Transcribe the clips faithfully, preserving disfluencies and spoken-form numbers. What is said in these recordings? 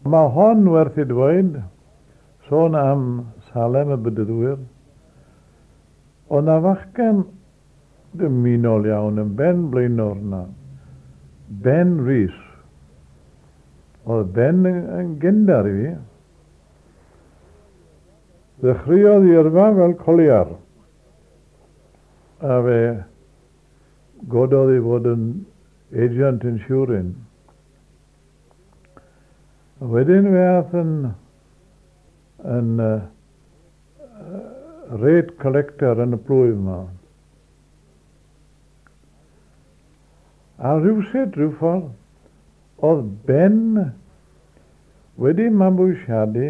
Mae hon werth i dweud, sôn am Salem y Bedyddwyr, oedd 'na fachgen dymunol iawn yn ben blaenor 'na, Ben Rees. Oedd Ben yn, yn gyndar i fi. Ddechreuodd i yrfa fel coliar, a fe gododd i fod yn agent insurance. A wedyn fe ath yn, yn uh, rate collector yn y plwyf yma. A rhywsut, rhyw ffordd, oedd Ben wedi mabwysiadu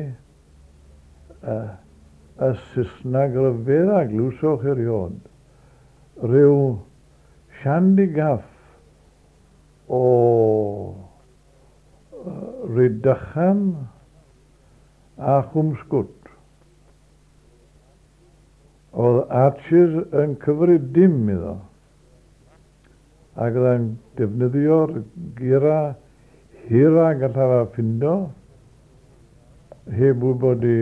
uh, y Saesneg ryfedd a glywsoch erioed. Rhyw shandygaff o Rhydychen a Chwmsgwt. Oedd Arches yn cyfri dim iddo, ac oedd yn defnyddio'r gira hira gallaf a ffindo, heb wybod i,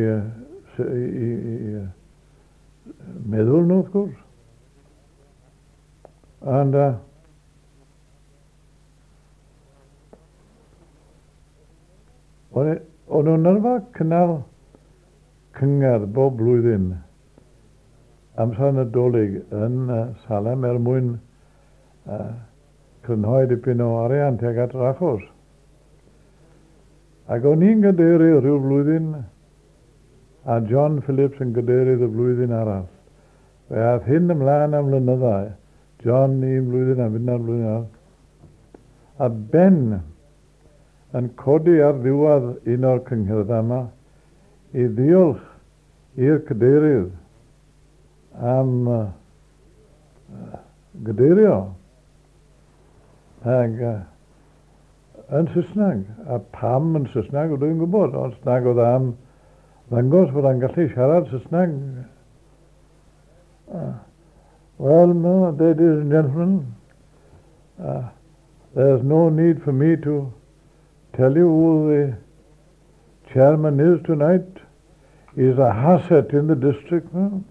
i, i, i meddwl nhw, wrth gwrs. And uh, o'n nhw'n arfer cynnal cyngerdd bob blwyddyn amser Nadolig yn uh, Salem er mwyn uh, crynhoi dipyn o arian tuag at yr achos. Ac o'n i'n gadeirydd rhyw flwyddyn a John Phillips yn gadeirydd y flwyddyn arall. Fe ath hyn ymlaen am flynyddau. John un blwyddyn a finna'r blwyddyn arall. A Ben yn codi ar ddiwedd un o'r cyngherddau yma i ddiolch i'r cadeirydd am uh, gadeirio ag uh, yn Saesneg. A pam yn Saesneg, dwi'n gwybod, ond nag oedd am ddangos fod o'n gallu siarad Saesneg. Uh, well, no, ladies and gentlemen, uh, there's no need for me to tell you who the chairman is tonight. He's a asset in the district, no?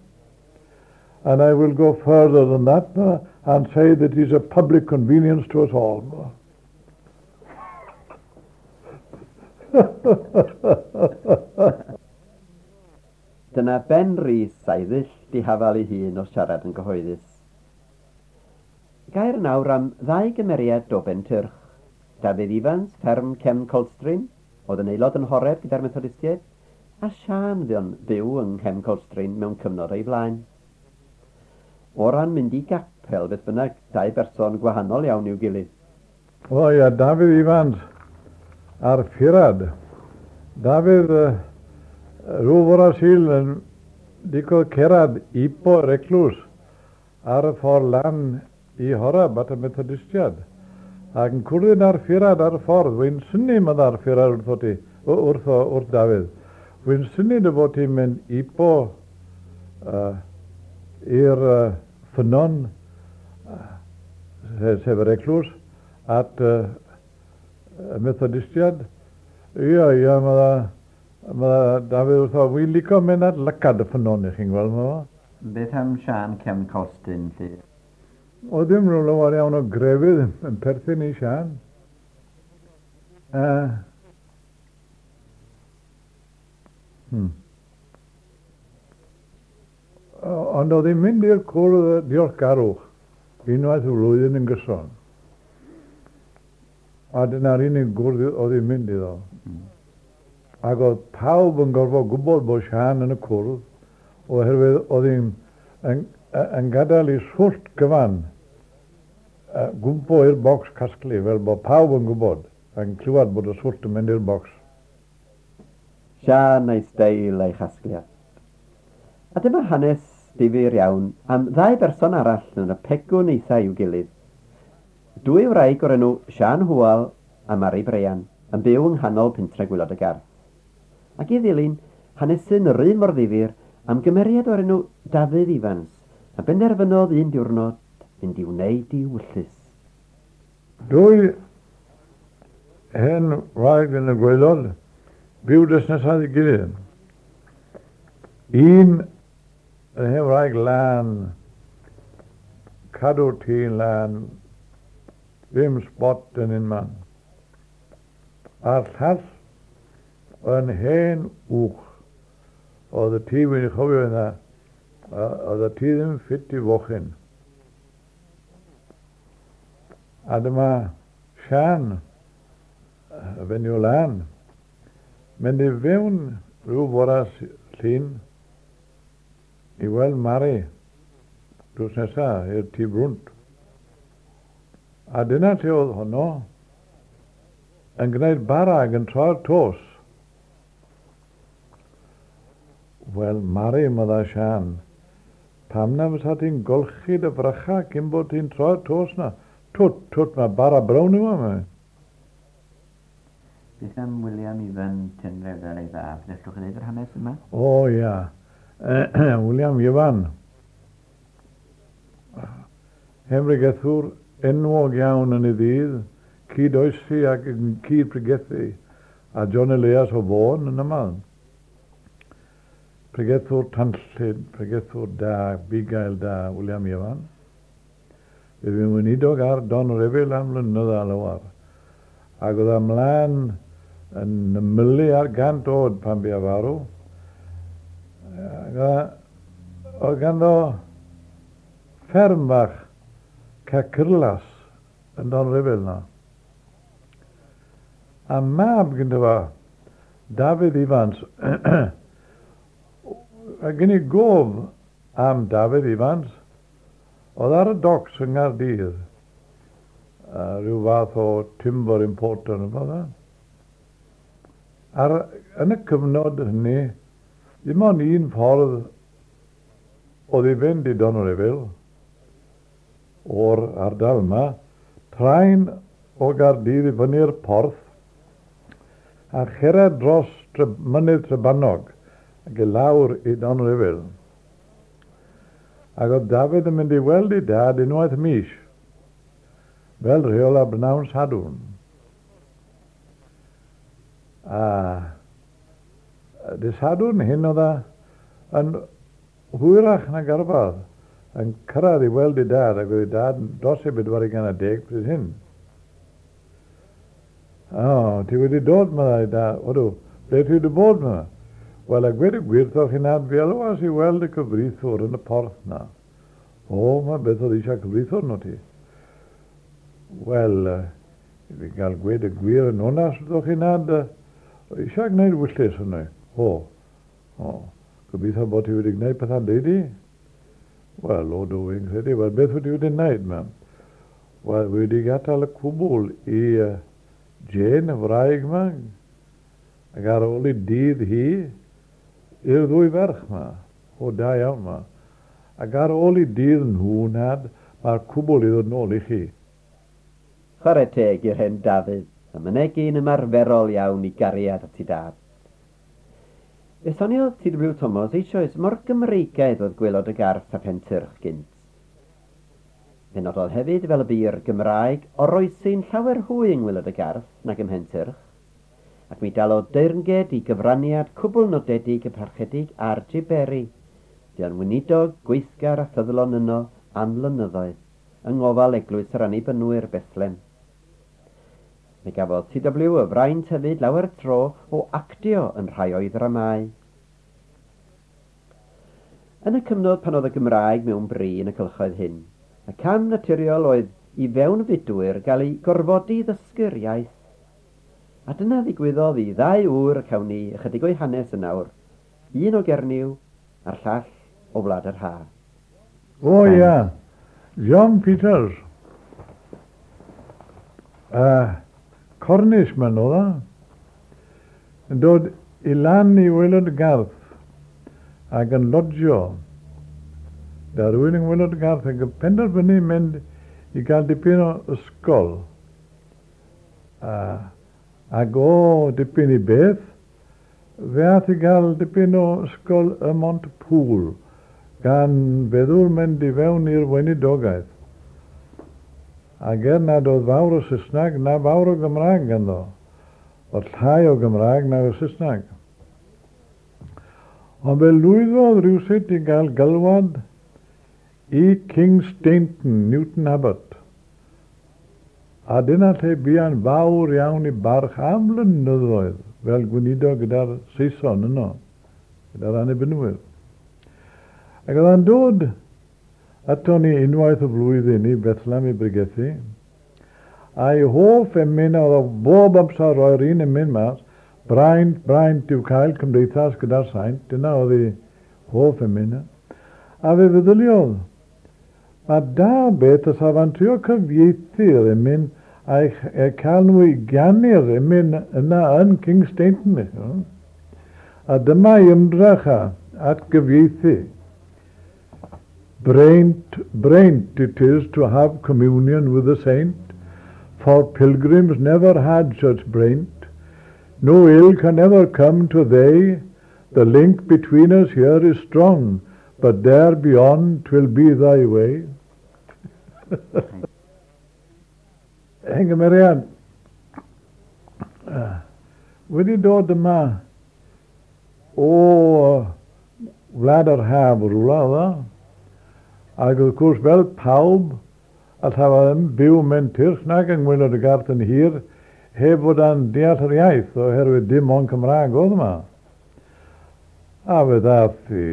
And I will go further than that no, and say that he's a public convenience to us all. No? Dyna Ben Rees a'i ddull dihafal ei hun o siarad yn gyhoeddus. Gair nawr am ddau gymeriad o Bentyrch. Dafydd Ifans, fferm Cefn Colstrin, oedd yn aelod yn Horeb gyda'r Methodistiaid, a Siân fu'n byw yng Nghefn Colstrin mewn cyfnod o'i flaen. O ran mynd i gapel, beth bynnag, dau berson gwahanol iawn i'w gilydd. O ia, Dafydd Ifans a'r Ffurad. Dafydd uh, rhyw fore Sul yn dico cerad ipo yr eglwys ar y ffordd lan i Horeb at y Methodistiad. Ac yn cwrdd â'r Ffurad ar y ffordd, wy'n synnu mynd Ffurad wrtho ti, wrth, wrth Dafydd. Wy'n synnu dy fod ti'n mynd ipo uh, i'r uh, ffynnon, uh, sef yr eglwys, at uh, y Methodistiad. Ia, ia, mae ma Dafydd wrtho, wy'n licio mynd at lacad y ffynnon i chi'n gweld, ma. Beth am Siân Cefn Colstrin, lly? O ddim rhyw lawer iawn o grefydd yn perthyn i Siân. Uh, hmm. Ond oedd hi'n mynd i'r cwrdd diolchgarwch unwaith y flwyddyn yn gyson. A dyna'r unig gwrdd oedd hi'n mynd iddo. Mm. Ac oedd pawb yn gorfod gwybod bod Siân yn y cwrdd, oherwydd oedd hi'n yn, yn gadael i swllt gyfan uh, gwmpo i'r bocs casglu, fel bod pawb yn gwybod, yn clywed bod y swllt yn mynd i'r bocs. Siân a'i steil a'i chasgliad. A dyma hanes difyr iawn am ddau berson arall yn y pegwn eitha i'w gilydd. Dwy wraig o'r enw Siân Hwal a Mary Brian yn byw yng nghanol pentre Gwaelod y Garth. Ac i ddilyn, hanesyn yr un mor ddifyr am gymeriad o'r enw Dafydd Ifans, a benderfynodd un diwrnod mynd i wneud i wyllys. Dwy hen wraig yn y gwaelod byw drws nesaf i gilydd. Un yn hen wraig lân, cadw tŷ'n lân, ddim spot yn un man. A'r llall yn hen uwch. Oedd y tŷ fi'n chofio yna, oedd y tŷ ddim ffit i fochyn. A dyma Sian, y fenyw lân, mynd i fewn rhyw fora llun i weld Mari drws nesa i'r tŷ brwnt. A dyna lle oedd honno yn gwneud bara ac yn troi'r tos. Wel, Mari, medda Sian, pam na fysa ti'n golchi dy frycha cyn bod ti'n troi'r tos na? Twt, twt, mae bara brown yw yma. Beth am William Ifan Tynrefel ei fab? Nellwch chi ddeud yr hanes yma? O, ia. William Ifan. Hen bregethwr enwog iawn yn ei ddydd, cyd-oesi ac yn cyd-pregethu, a John Elias o Fôn yn aml. Pregethwr tanllyd, pregethwr da, bugail da, William Ifan. Fe fu'n weinidog ar Donrefel am flynyddoedd a lawer. Ac oedd ymlaen yn ymylu ar gant oed pan bu farw. Ac oedd ganddo fferm fach Cacyrlas yn Donrefel na. A mab gyda fo, Dafydd Ifans, a gen i gof am Dafydd Ifans, oedd ar y docs yng Nghaerdydd, uh, rhyw fath o timber importer yn fath. Ar, yn y cyfnod hynny, ddim ond un ffordd oedd i fynd i Donrefel o'r ardal yma, traen o Gaerdydd i fyny'r porth a cherdded dros tre, mynydd Trebanog ac i lawr i Donrefel. Ac oedd Dafydd yn mynd i weld ei dad unwaith y mis, fel rheol ar bnawn Sadwrn. A dy Sadwrn hyn oedd yn hwyrach nag arfer yn cyrraedd i weld ei dad, ac oedd ei dad dros ei bedwar ugain a deg pryd hyn. O, ti wedi dod, meddai dad. Odw, ble ti wedi bod, meddai? Wel, a gweud y gwir wrthoch chi nad fi alwas i weld y cyfreithiwr yn y porth na. O, mae beth oedd eisiau cyfreithiwr no ti. Wel, i fi gael gweud y gwir yn onast wrthoch chi nad, eisiau gwneud wyllys yno. O, o, gobeithio bod ti wedi gwneud pethau'n deudi? Wel, o, dw i'n credu. Wel, beth wedi wedi gwneud, ma'am? Wel, wedi gadael y cwbl i uh, Jane, y wraig yma, ac ar ôl i dydd hi, i'r ddwy ferch yma, o da iawn yma. Ac ar ôl i dydd nhw nad, mae'r cwbl i ddod nôl i chi. Chwarae teg i'r hen Dafydd, a mynegi'n ymarferol iawn i gariad at ei dad. Fe soniodd T W Thomas eisoes mor Gymreigaidd oedd gwaelod y Garth a Pentyrch gynt. Fe nododd hefyd fel y bu'r Gymraeg oroesi'n llawer hwy yng ngwaelod y Garth nag ym Mhentyrch, ac mi dalodd deyrnged i gyfraniad cwbl nodedig y parchedig R J Berry, bu'n weinidog gweithgar a ffyddlon yno am flynyddoedd, yng ngofal eglwys yr Annibynwyr Bethlem. Mi gafodd T W y fraint hefyd lawer tro o actio yn rhai o'i ddramâu. Yn y cyfnod pan oedd y Gymraeg mewn bri yn y cylchoedd hyn, y cam naturiol oedd i fewnfudwyr gael eu gorfodi i ddysgu'r iaith. A dyna ddigwyddodd i ddau ŵr y cawn ni ychydig o'i hanes yn awr, un o Gernyw a'r llall o Wlad yr Ha. O ia, John Peters. Uh, Cornishman oedd o, yn dod i lan i waelod y Garth ac yn lodgio. Da rhywun yn waelod y Garth ac yn penderfynu mynd i gael dipyn o ysgol. Uh, ac o dipyn i beth, fe ath i gael dipyn o ysgol ym Mhontypŵl, gan feddwl mynd i fewn i'r weinidogaeth. Ac er nad oedd fawr o Saesneg na fawr o Gymraeg ganddo, Oedd llai o Gymraeg nag o Saesneg. Ond fe lwyddodd rhywsut i gael galwad i Kingsteignton, Newton Abbot. A dyna lle buan fawr iawn i barch am flynyddoedd fel gweinidog gyda'r Saeson yno, gyda'r Annibynwyr. Ac oedd o'n dod ato ni unwaith y flwyddyn i Bethlehem i bregethu, a'i hoff emyn oedd o bob amser roi'r un emyn mas, braint, braint yw cael cymdeithas gyda'r saint, dyna oedd ei hoff emyn. A fe feddyliodd, mae da beth os afa'n trio cyfieithu'r emyn a'i cael nhw i ganu'r emyn yna yn Kingsteignton. A dyma ei ymdrech at gyfieithu. Braint, braint it is to have communion with the saint, for pilgrims never had such braint. No ill can ever come to they. The link between us here is strong, but there beyond 'twill be thy way. Hen gymeriad wedi dod yma o wlad yr haf rhywle oedd o. Ac wrth gwrs fel pawb allai ddim byw mewn tyrch nag yng Ngwaelod y Garth yn hir heb fod yn deall yr iaith oherwydd dim ond Cymraeg oedd yma. A fe ddaeth i,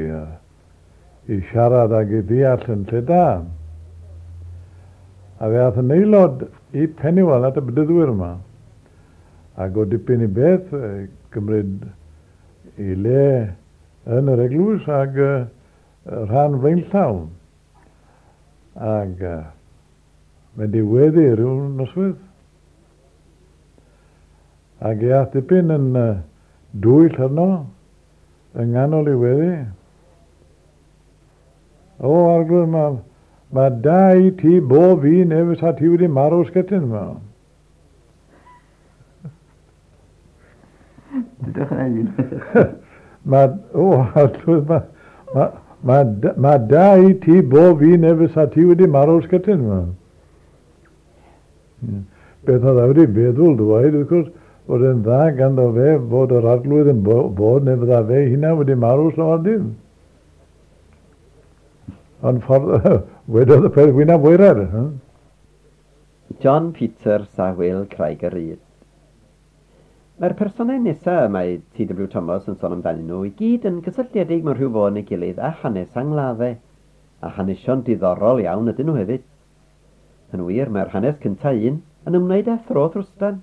i siarad ag i ddeall yn lle da. A fe aeth yn aelod i Penuel at y bedyddwyr yma. Ac o dipyn i beth, cymryd i le yn yr eglwys ag rhan flaenllaw. Ac mynd i weddi rhyw noswydd. Ac i aeth dipyn yn dwyll arno, yng nghanol i weddi. O, Arglwydd, mae ma da i ti bob un efo sa ti wedi marw sgetyn yma. Dydwch yn un. Mae, o, Arglwydd, mae ma, ma, ma da i ti bob un efo sa ti wedi marw sgetyn yma. Beth oedd wedi feddwl dweud, wrth gwrs, fod yn dda ganddo fe fod yr Arglwydd yn bod neu fydda fe hynna wedi marw slawer dim. Ond ffordd, wedodd y peth wynaf waered. John Peters a Wil Craig yr Rhyd. Mae'r personau nesaf mae T W Thomas yn sôn amdanyn nhw i gyd yn gysylltiedig mewn rhyw fodd neu gilydd â hanes angladdau, a hanesion diddorol iawn ydyn nhw hefyd. Yn wir, mae'r hanes cyntaf un yn ymwneud â thro trwstan,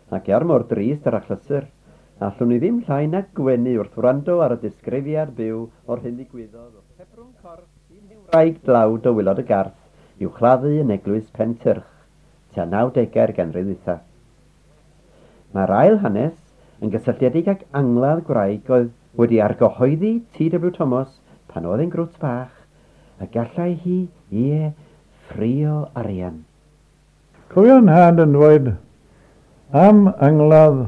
ac er mor drist yr achlysur, allwn ni ddim llai na gwenu wrth wrando ar y disgrifiad byw o'r hyn ddigwyddodd wrth hebrwng corff un wraig dlawd o Waelod y Garth i'w chladdu yn eglwys Pentyrch, tua nawdegau'r ganrif ddwytha. Mae'r ail hanes yn gysylltiedig ag angladd gwraig oedd wedi argyhoeddi T W Thomas pan oedd yn grwt bach, a gallai hi, ie, ffrio arian. Cofio'n nhad yn dweud am angladd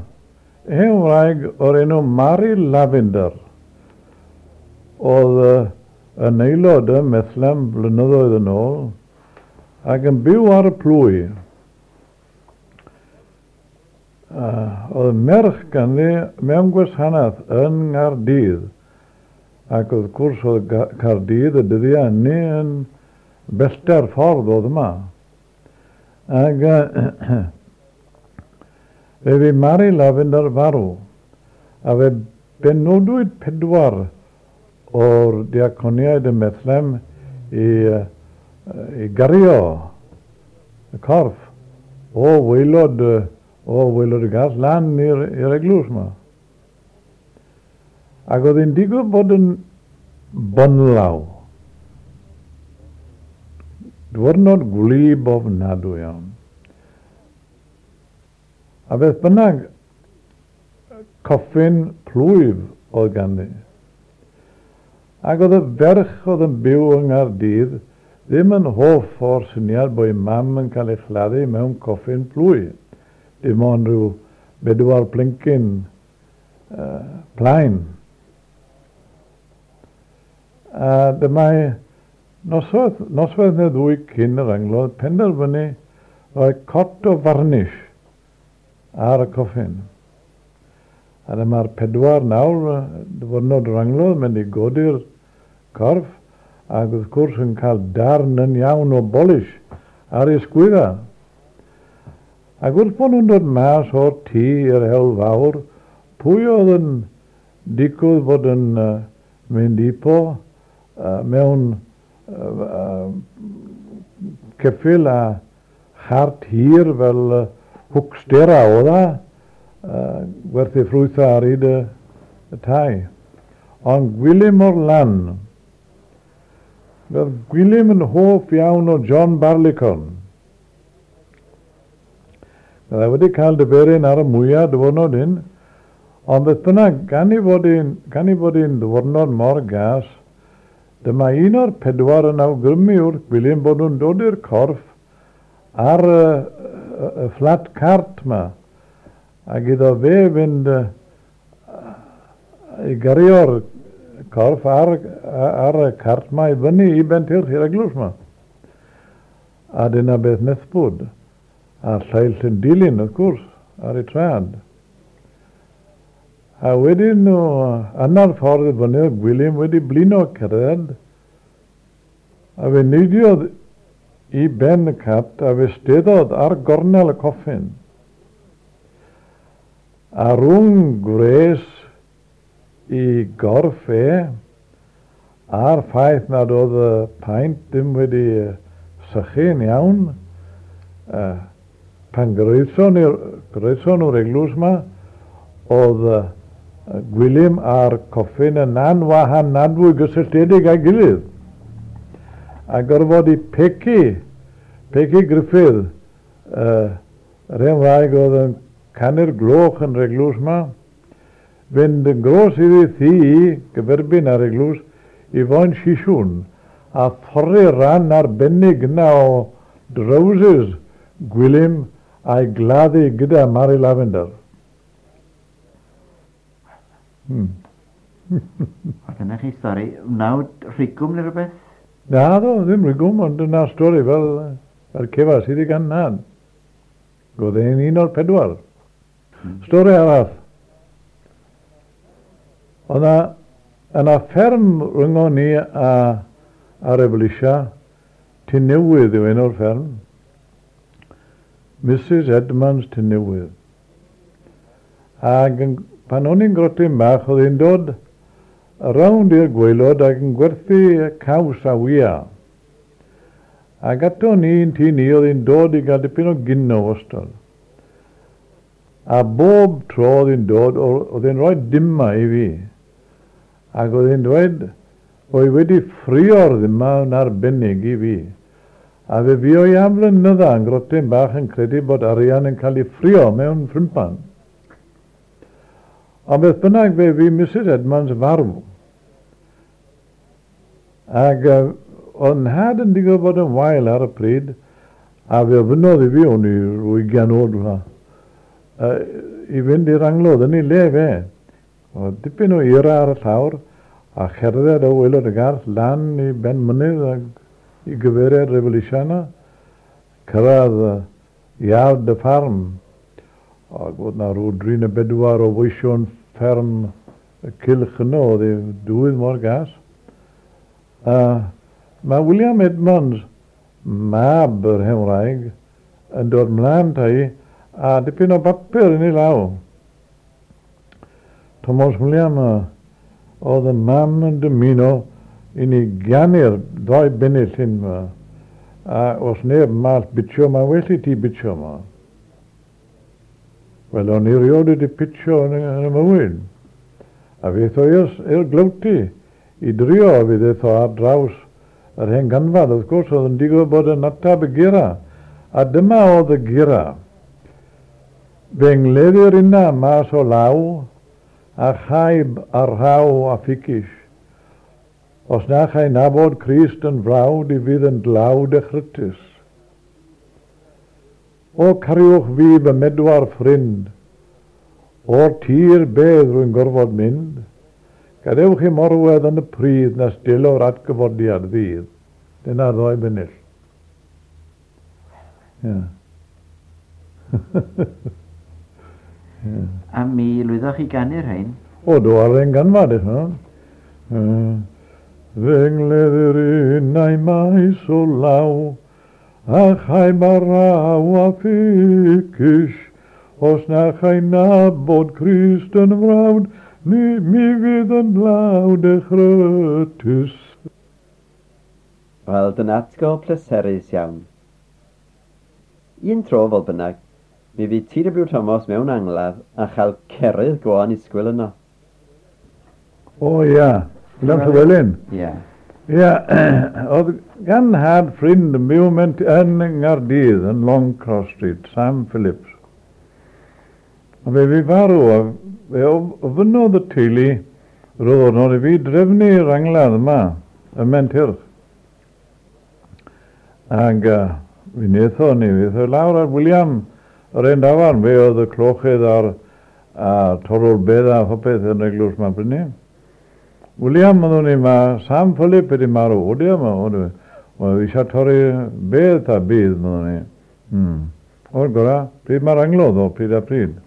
hen wraig o'r enw Mary Lavender oedd yn aelod ym Methlehem blynyddoedd yn ôl ac yn byw ar y plwy. Uh, oedd merch ganddi mewn gwasanaeth yn Nghaerdydd, ac wrth gwrs oedd Caerdydd y dyddiau hynny yn bellter ffordd oedd yma. Ac uh, fe fu Mary Lavender farw, a fe benodwyd pedwar o'r diaconiaid ym Methlehem i, uh, i gario y corff o waelod, o waelod y Garth lan i'r, i'r eglwys yma. Ac oedd hi'n digwydd bod yn bonlaw. Dwrnod gwlyb ofnadwy iawn. A beth bynnag, coffin plwyf oedd ganddi. Ac oedd y ferch oedd yn byw yng Nghaerdydd ddim yn hoff o'r syniad bod ei mam yn cael ei chladdu mewn coffin plwy. Dim ond rhyw bedwar plincyn uh, plaen. A dyma noswaith, noswaith neu ddwy cyn yr angladd penderfynu rhoi cot o varnish ar y coffin. A dyma'r pedwar nawr, diwrnod yr angladd, mynd i godi'r corff, ac wrth gwrs yn cael darn yn iawn o bolish ar ei sgwydda. Ac wrth bod nhw'n dod mas o'r tŷ i'r hewl fawr, pwy oedd yn digwydd bod yn uh, mynd ipo uh, mewn uh, uh, ceffyl a chart hir fel uh, hwcstera oedd a, uh, gwerthu ffrwythau ar hyd y, y tai. Ond Gwilym o'r lan, roedd Gwilym yn hoff iawn o John Barleycorn. Roedd e wedi cael diferyn ar y mwyaf diwrnod hyn, ond beth bynnag, gan i fod un, gan i fod un ddiwrnod mor gas, dyma un o'r pedwar yn awgrymu wrth Gwilym bod nhw'n dod i'r corff ar y, y, y flat cart ma, ac iddo fe fynd uh, i gyrio'r corff ar, ar y cart ma i fyny i Bentyrch i'r eglwys ma. A dyna beth nethbwyd. A'r lleill yn dilyn, wrth gwrs, ar ei traed. A wedyn nhw, yna'r ffordd i fyny, oedd Gwilym wedi blino cerdded, a fe neidiodd i ben y cart a fe steddodd ar gornel y coffin. A rhwng gwres i gorff e, a'r ffaith nad oedd y paent ddim wedi sychu'n iawn, uh, pan groeson nhw'r eglwys ma, oedd uh, Gwilym a'r coffin yn anwahanadwy gysylltiedig â'i gilydd. A gorfod i Pecu, Pecu Griffith, uh, yr hen wraig oedd yn canu'r gloch yn yr eglwys ma, fynd yn gros iddi thŷ gyferbyn ar eglwys i foen sisiwn a thorri ran arbennig yna o drowsus Gwilym a'i gladdu gyda Mary Lavender. Hmm. A dyna chi stori. Wnawd rhigwm neu rhywbeth? Na ddo, ddim rhigwm, ond dyna'r stori fel, fel cefas iddi gan nad. Oedd e'n un o'r pedwar. Hmm. Stori arall. Oedd yna, yna fferm rhyngo ni a, a Revolusia, Tŷ Newydd yw enw'r fferm. Missus Edmonds Tŷ Newydd. Ac yn, pan o'n i'n grotyn bach, oedd hi'n dod rownd i'r gwaelod ac yn gwerthu caws a wya. Ac ato ni yn tŷ ni, oedd hi'n dod i gael dipyn o gino wastad. A bob tro oedd hi'n dod, oedd hi'n rhoi dima i fi. Ac oedd hi'n dweud, oedd wedi ffrio'r ddima yn arbennig i fi. A fe fuo i am flynydda yn grotyn bach yn credu bod arian yn cael ei ffrio mewn ffrympan. Ond beth bynnag fe fu Missus Edmonds farw. Ac uh, oedd nhad yn digwydd bod yn wael ar y pryd, a fe ofynnodd i fi, o'n i rhyw ugain oed uh, i fynd i'r angladd yn ei le fe. Oedd dipyn o eira ar y llawr, a cherdded o waelod y garth lan i ben mynydd ac i gyfeiriad Revolusiana, cyrraedd uh, iard y ffarm. Ac oedd na rhyw dri neu bedwar o weision fferm y cylch yno, oedd ei dwydd mor gas. Uh, mae William Edmonds, mab yr hen wraig, yn dod mlaen tai a dipyn o bapur yn ei law. Thomas William, uh, oedd y mam yn dymuno i ni ganu'r ddoi bennill hyn yma. A os neb mall bitio, mae well i ti bitio yma. Wel, o'n i rioed wedi pitio yn, yn y mywyd. A fe ddo i'r glywti i drio, a fe ddo ar draws yr hen ganfad. Wrth gwrs, oedd yn digwydd bod yn atab y gira. A dyma oedd y gira. Fe ngleddir yna mas o law, a chaib a rhaw a fficish. Os na chai nabod Crist yn frawd, i fydd yn dlawd a chrytus. O cariwch fi fy medwar ffrind, o'r tir bedd rwy'n gorfod mynd, gadewch i morwedd yn y pridd nes delo'r atgyfodiad ddydd. Dyna'r ddoi bennill. Yeah. Yeah. A mi lwyddoch chi ganu'r rhain? O, do, ar ein ganfad, eich nhw. Ddengleddir unau maes o law, a chai baraw a ffycus, os na chai nabod Crist yn frawd, ni mi fydd yn dlawd echrytus. Wel, dyna atgo pleserus iawn. Un tro, fodd bynnag, mi fydd T W Thomas mewn angladd a chael cerydd go annisgwyl yno. O ia, William Llewellyn. Ia. Ia, oedd gan had ffrind yn byw yn Nghaerdydd, yn Long Cross Street, Sam Phillips. A fe fi farw, a fe ofynnodd y teulu roedd i fi drefnu'r angladd yma, ym Mhentyrch. Ac uh, fi wnaethon ni, fi wnaethon lawr ar William yr un dafarn, fe oedd y clochydd a'r, a'r torrwr bedd a phopeth yn eglwys yma brynu. William, oeddwn i, mae Sam Philip wedi marw, o di yma, o di. Wel, eisiau torri bedd a bydd, oeddwn i. Hmm. O'r gorau, pryd mae'r anglodd o, pryd a pryd.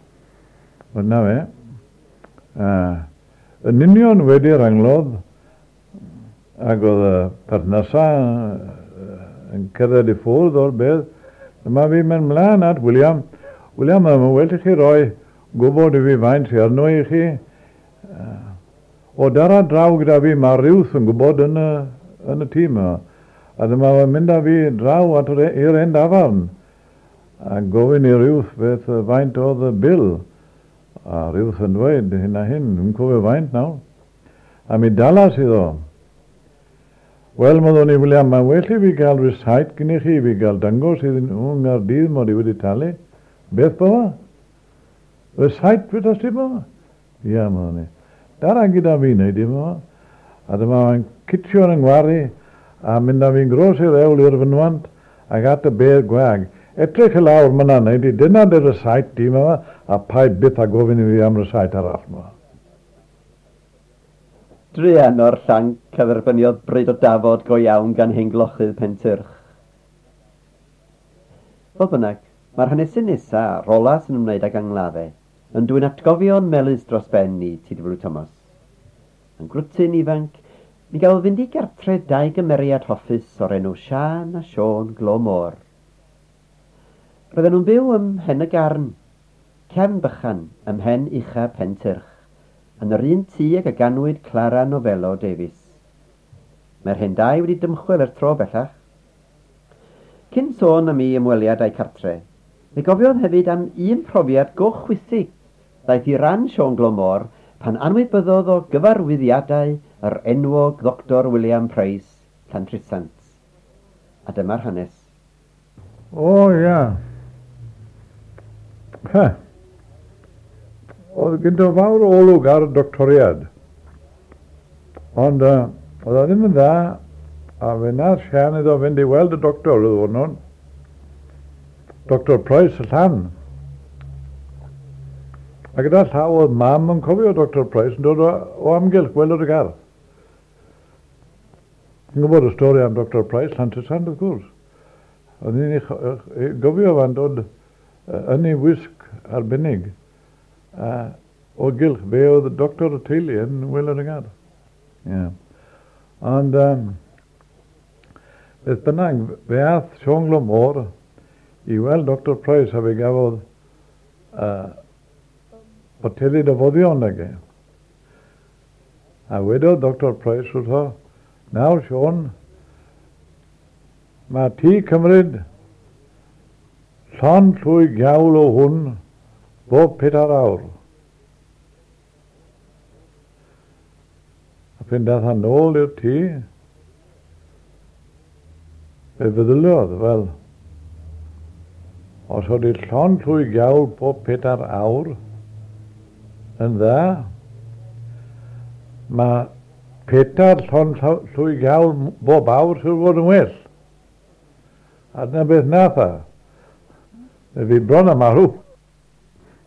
Wel, na fe. Uh, yn union wedi'r anglodd, ac oedd y perthnasau yn cerdded i ffwrdd o'r bedd, dyma fi mynd mlaen at William. William, mae'n well i chi roi gwybod i fi faint sy arno i chi. O dara draw gyda fi, mae Ruth yn gwybod yn y, yn y tîm yma. A dyma fe'n mynd â fi draw at i'r hen dafarn. A gofyn i Ruth beth faint oedd y bil. A Ruth yn dweud hyn a hyn, dwi'n cofio faint nawr. A mi dalas iddo. Wel, meddwn i, William, mae'n well i fi gael receipt gyda chi, fi gael dangos iddyn nhw yng Nghaerdydd mod i wedi talu. Beth bo? Receipt beth ti bo? Ia, meddwn i. Dara gyda fi wneud i bo. A dyma fe'n citio yn ngwaru a mynd â fi'n gros i'r ewl i'r fynwant ac at y bedd gwag. Edrych i lawr myna wneud i, dyna dy receipt di yma, a paid byth a gofyn i fi am receipt arall yma. Druan o'r llanc a dderbyniodd bryd o dafod go iawn gan hen glochydd Pentyrch. Fodd bynnag, mae'r hanesyn nesaf, rola sy'n ymwneud ag angladdau, yn dwyn atgofion melys dros ben i T W Thomas. Yn grwtyn ifanc, mi gafodd fynd i gartre dau gymeriad hoffus o'r enw Siân a Siôn Glo Môr. Roedden nhw'n byw ym Mhen y Garn, cefn bychan ym Mhen Ucha Pentyrch, yn yr un tŷ ag y ganwyd Clara Novello Davies. Mae'r hen dau wedi dymchwel er tro bellach. Cyn sôn am ei ymweliad a'i cartre, fe gofiodd hefyd am un profiad go chwithig ddaeth i ran Siôn Glo Môr pan anwybyddodd o gyfarwyddiadau yr enwog Ddoctor William Price, Llantrisant. A dyma'r hanes. O, ia. Ha. Oedd gyda fawr olwg ar y doctoriad. Ond uh, oedd o ddim yn dda, a fe nath Siân iddo fynd i weld y doctor oedd hwnnw. Doctor Price y Llan. A gyda llaw oedd mam yn cofio Doctor Price yn dod o, o amgylch gweld y gardd. Yn gwybod y stori am Doctor Price, Llantrisant, wrth gwrs. Oedd ni'n ei gofio fan dod yn ei wisg arbennig. Uh, o gylch, fe oedd y doctor y teulu yn wylod y gardd. Yeah. Ond, um, beth bynnag, fe ath Siôn Glo Môr i weld Doctor Price a fe gafodd uh, boteli o foddion ag e. A wedodd Doctor Price wrtho, nawr Siôn, mae ti cymryd llond llwy giawl o hwn bob pedair awr. A pen dath yn ôl i'r tŷ, fe feddyliodd, wel, os oedd i llond llwy giawl bob pedair awr yn dda, mae pedair llond llwy giawl bob awr sy'n fod yn well. A dyna beth nath a. Fe fi bron a marw.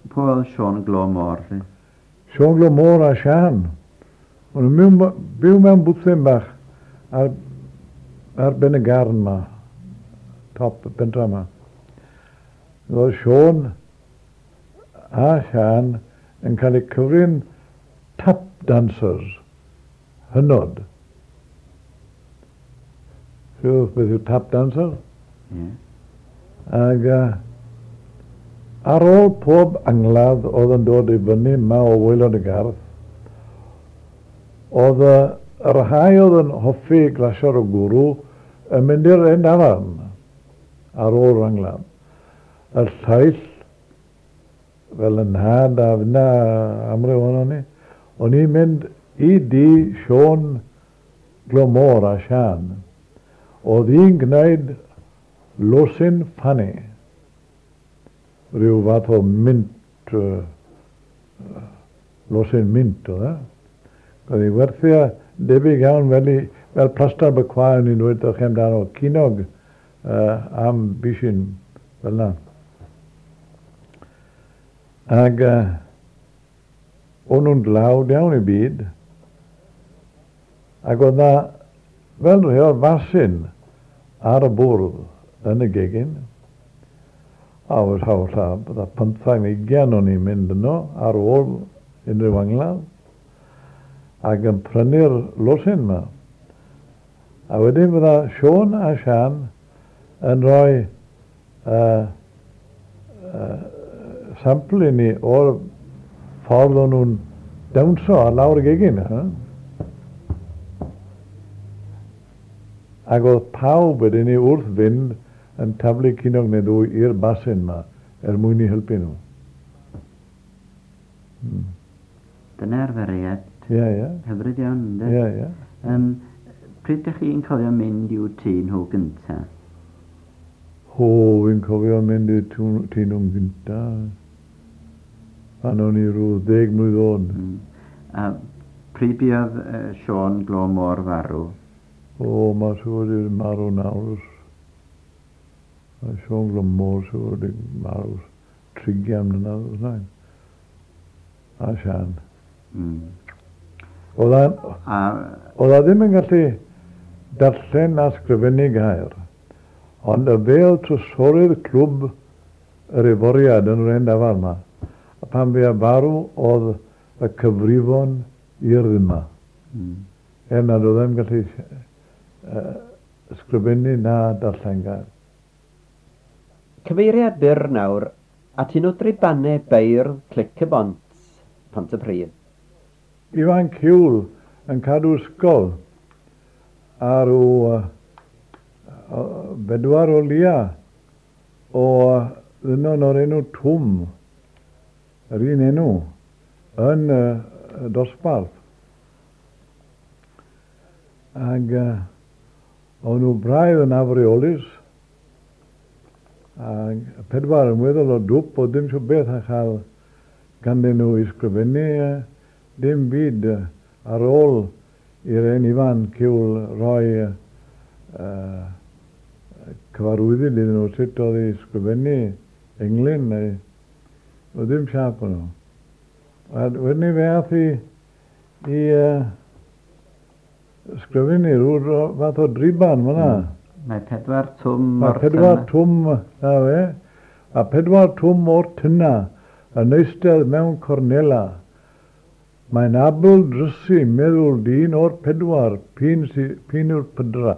Pwy oedd Siôn Glo Môr? Siôn Glo Môr a Siân. O'n nhw'n byw mewn bwthyn bach ar, ar ben y garn ma, top y pentra ma. Oedd Siôn a Siân yn cael eu cyfri'n tap dancers hynod. Siwr beth yw tap dancer? Yeah. Ag uh, ar ôl pob angladd oedd yn dod i fyny yma o waelod y gardd, oedd y rhai oedd yn hoffi glasio'r o gwrw yn mynd i'r un dafarn ar ôl yr angladd. Y llaill, fel yn nhad a fyna amryw ohono ni, o'n i'n mynd i di Siôn Glomor a Siân. Oedd hi'n gwneud losin ffani, rhyw fath o mint, uh, losin mint oedd e. Oedd hi werthu debyg iawn fel, i, fel plastar bycwa o'n i'n dweud chi amdano, cinog uh, am bishyn fel na. Ag uh, o'n nhw'n dlawd iawn i byd, ac oedd na fel rheol fasyn ar y bwrdd yn y gegin, a oedd hawl lla, bydda pymthag neu ugain o'n i'n mynd yno ar ôl unrhyw angladd, ac yn prynu'r losin yma. A wedyn fydda Siôn a Siân yn rhoi uh, uh, sampl i ni o'r ffordd o'n nhw'n dawnsio ar lawr y gegin. Huh? Ac oedd pawb wedyn ni wrth fynd yn taflu cinog neu ddwy i'r basin yma er mwyn i helpu nhw. Hmm. Dyna arferiad. Ie, ie. Hyfryd iawn, ynddo? Ie, ie. Um, pryd ydych chi'n cofio mynd i'w tŷ nhw gynta? O, fi'n cofio mynd i'w tŷ nhw'n gynta. Pan o'n i rhyw ddeg mlwydd oed. Mm. A pryd buodd uh, Siôn Glomor farw? O, mae siŵr wedi marw nawr. Mae Siôn Glomor siŵr wedi marw trigian mlynedd o'r A Siân. Mm. Oedd a ddim yn gallu darllen a sgrifennu gair, ond y fel trysorydd clwb yr Iforiad yn yr hen dafarn yma. A pan fi a farw oedd y cyfrifon i'r yma. Mm. Er nad oedd ddim gallu uh, ysgrifennu na darllen gair. Cyfeiriad byr nawr at un o dribannau beirdd Clic y Bont, Pontypridd. Ifan Ciwl yn cadw ysgol ar o uh, bedwar o lia o ddynon o'r enw Twm, yr un enw, yn uh, dosbarth. Ac uh, o'n nhw braidd yn afreolus, ac pedwar yn weddol o dwp o ddim siw beth a chael ganddyn nhw i sgrifennu uh, dim byd ar ôl i'r hen Ifan Ciwl roi uh, cyfarwyddyd iddyn nhw sut oedd i sgrifennu englyn neu oedd ddim siap o'n nhw. A wedyn ni fe ath i, i uh, sgrifennu rhyw fath o driban fyna. Mm. Mae pedwar twm Mae o'r pedwar twm, na fe, a pedwar twm o'r tyna yn eistedd mewn cornela. Mae'n abl drysu meddwl dyn o'r pedwar, p'un sy, p'un yw'r pydra.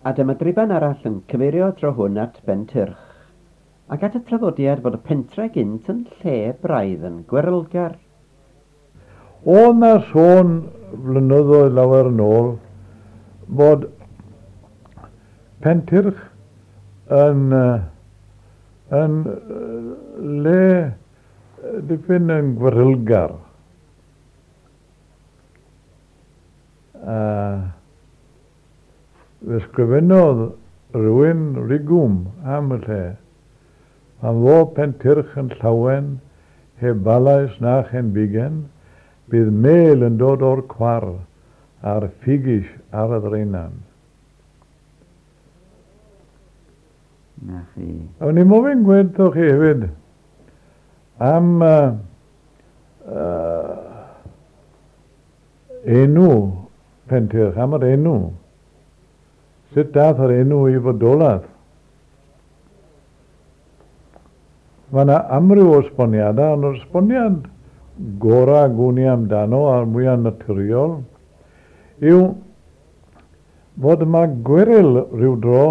A dyma driban arall yn cyfeirio tro hwn at Bentyrch, ac at y traddodiad bod y pentre gynt yn lle braidd yn gwerylgar. Oedd na sôn flynyddoedd lawer yn ôl bod Pentyrch yn, yn le dipyn yn gwerylgar. Uh, fe sgrifennodd rhywun rigwm am y lle. Pan ddo Pentyrch yn llawen, heb balais na chenfigen, bydd mel yn dod o'r cwar a'r ffigys ar y ddraenan. Na chi. O'n i'n mofyn gweud wrthoch chi hefyd am uh, uh, enw Pentyrch, am yr enw. Sut dath yr enw i fodolaeth? Mae yna amryw o esboniadau, ond yr esboniad gorau gwn i amdano a'r mwyaf naturiol yw fod yma gweryl rhyw dro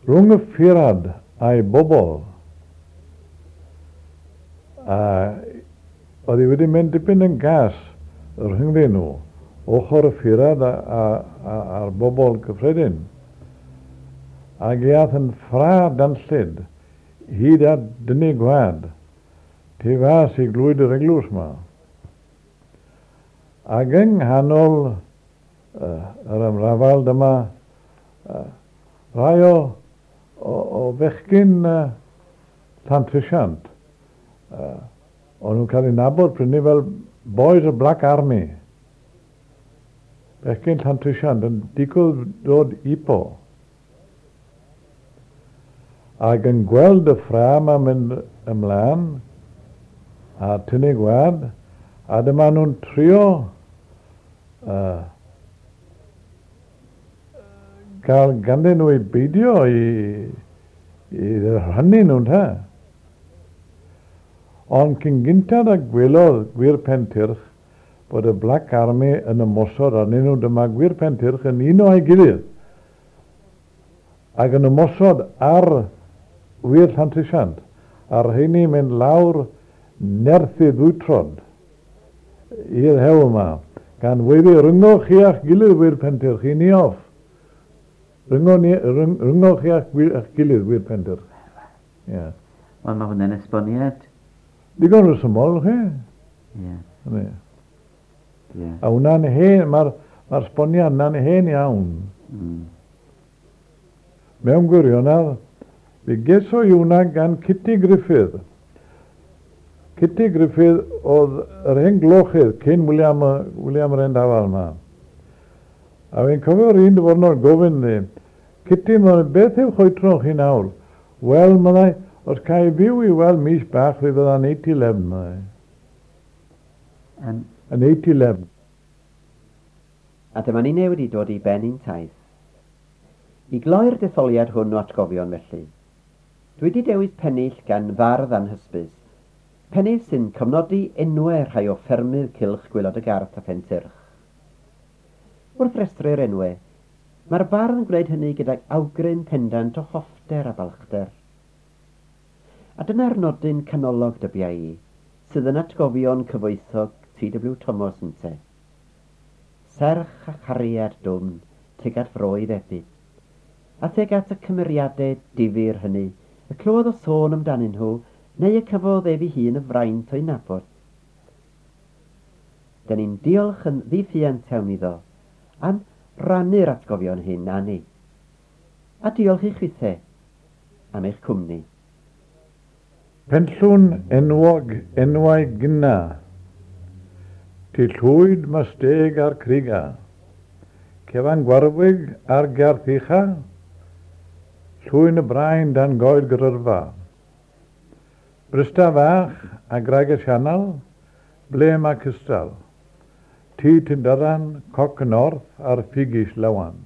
rhwng y ffyrad a'i bobl. A oedd hi wedi mynd dipyn yn gas rhyngddyn nhw, ochr y ffyrad a, a, a, a'r bobl cyffredin. Ac iath yn ffra danllyd hyd at dynnu gwad tu fas i glwyd yr eglwys yma. Ac yng nghanol uh, yr ymrafal dyma uh, rai o, o, o fechgyn uh, Llantrisant. Uh, o'n nhw'n cael eu nabod prynu fel Boys of Black Army. Bechgyn Llantrisant yn digwydd dod ipo. Ac yn gweld y ffra yma mynd ymlaen a tynnu gwad, a dyma nhw'n trio uh, gael ganddyn nhw i beidio i, i rhannu nhw'n ta. Ond cyn gyntaf a gwelodd Gwir Pentyrch bod y Black Army yn ymosod arnyn nhw, dyma Gwir Pentyrch yn uno a'i gilydd ac yn ymosod ar Wir Llantrisant, a'r rheini mynd lawr nerthu ddwytrod i'r hewl yma, gan weiddi ryngo chi a'ch gilydd Wir Pentyrch, i ni off. Ryngo, ni, ryng, ryngo chi a'ch, a'ch gilydd Wir Pentyrch. Yeah. Wel, mae hwnna'n esboniad. Digon rhesymol, chi? Ie. Yeah. Yeah. A hwnna'n hen, mae'r ma esboniad yna'n hen iawn. Mm. Mewn gwirionedd, fe geso i hwnna gan Kitty Griffith. Kitty Griffith oedd yr hen glochydd cyn William, William yr Endafal yma. A fi'n cofio'r un diwrnod gofyn ni, Kitty, beth yw choetro chi nawr? Wel, meddai, os ca i fyw i weld mis bach, fe fydda'n eighty eleven, meddai. Um, Yn eighty eleven. A dyma ni wedi dod i ben ein taith. I gloi'r detholiad hwn o atgofion felly, dwi wedi dewis pennill gan fardd anhysbys. Pennill sy'n cofnodi enwau rhai o ffermydd cylch Gwaelod y Garth a Pentyrch. Wrth restru'r enwau, mae'r bardd yn gwneud hynny gydag awgrym pendant o hoffter a balchder. A dyna'r nodyn canolog dybia i, sydd yn atgofion cyfoethog T W Thomas ynte. Serch a chariad dwfn tuag at fro ei febyd, a tuag at y cymeriadau difyr hynny, y clywodd o sôn amdanyn nhw, neu y cafodd ef ei hun y fraint o'i nabod. Dyn ni'n diolch yn ddiffuant iawn iddo am rannu'r atgofion hyn â ni. A diolch i chwithe am eich cwmni. Penllwn enwog enwau gynna, ti llwyd masteg a'r criga, cefan gwarwig a'r garth ucha, llwyn y brain dan goed gryrfa. Brysta fach a graig y sianel, ble mae cystal. Tŷ Tyndyran, coc y north a'r ffigys lawan.